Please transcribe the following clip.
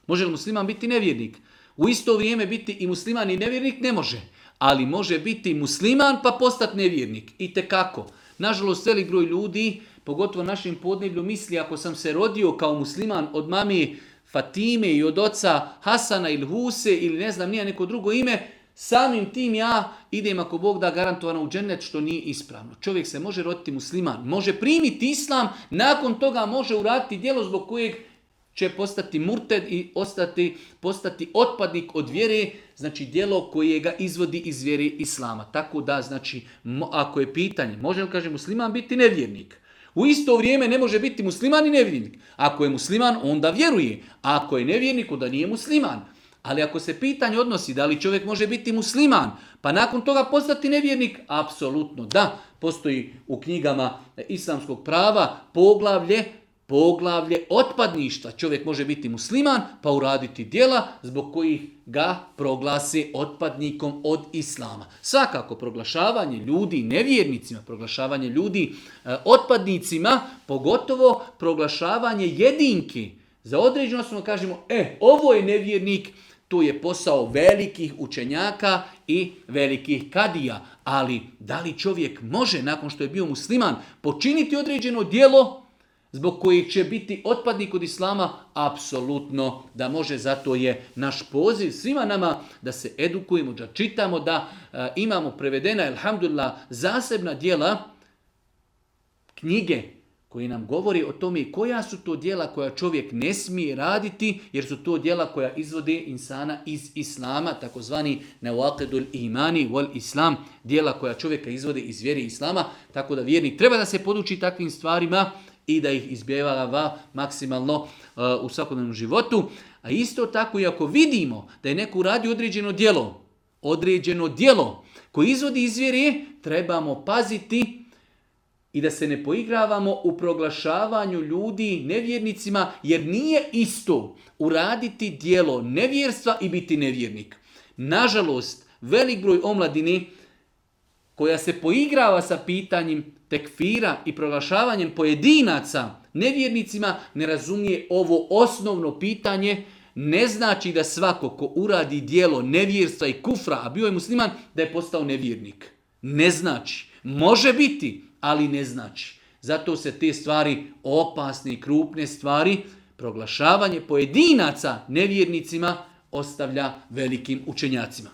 Može li musliman biti nevjernik? U isto vrijeme biti i musliman i nevjernik ne može. Ali može biti musliman pa postati nevjernik. Itekako. Nažalost, velik broj ljudi, pogotovo našim podneblju, misli ako sam se rodio kao musliman od mame Fatime i od oca Hasana ili Huse ili ne znam nije neko drugo ime, samim tim ja idem ako Bog da garantovano u džennet, što nije ispravno. Čovjek se može roditi musliman, može primiti islam, nakon toga može uraditi djelo zbog kojeg će postati murted i postati otpadnik od vjere, znači djelo koje ga izvodi iz vjere islama. Tako da, znači, ako je pitanje, može li, kaže, musliman biti nevjernik? U isto vrijeme ne može biti musliman i nevjernik. Ako je musliman, onda vjeruje. A ako je nevjernik, onda nije musliman. Ali ako se pitanje odnosi da li čovjek može biti musliman, pa nakon toga postati nevjernik, apsolutno da. Postoji u knjigama islamskog prava poglavlje otpadništva. Čovjek može biti musliman pa uraditi djela zbog kojih ga proglasi otpadnikom od islama. Svakako proglašavanje ljudi nevjernicima, proglašavanje ljudi otpadnicima, pogotovo proglašavanje jedinki. Za određeno smo kažemo, ovo je nevjernik, to je posao velikih učenjaka i velikih kadija. Ali da li čovjek može nakon što je bio musliman počiniti određeno djelo zbog kojih će biti otpadnik od islama? Apsolutno da može, zato je naš poziv svima nama da se edukujemo, da čitamo, da imamo prevedena, alhamdulillah, zasebna djela, knjige koji nam govori o tome koja su to djela koja čovjek ne smije raditi, jer su to djela koja izvode insana iz islama, takozvani nawaqidul imani wal islam, djela koja čovjeka izvode iz vjere islama, tako da vjernik treba da se poduči takvim stvarima i da ih izbjegava maksimalno u svakodnevnom životu. A isto tako i ako vidimo da je neko uradio određeno djelo koje izvodi iz vjere, trebamo paziti i da se ne poigravamo u proglašavanju ljudi nevjernicima, jer nije isto uraditi djelo nevjerstva i biti nevjernik. Nažalost, velik broj omladine koja se poigrava sa pitanjem tekfira i proglašavanjem pojedinaca nevjernicima ne razumije ovo osnovno pitanje. Ne znači da svako ko uradi djelo nevjerstva i kufra, a bio je musliman, da je postao nevjernik. Ne znači. Može biti, ali ne znači. Zato se te stvari, opasne i krupne stvari, proglašavanje pojedinaca nevjernicima, ostavlja velikim učenjacima.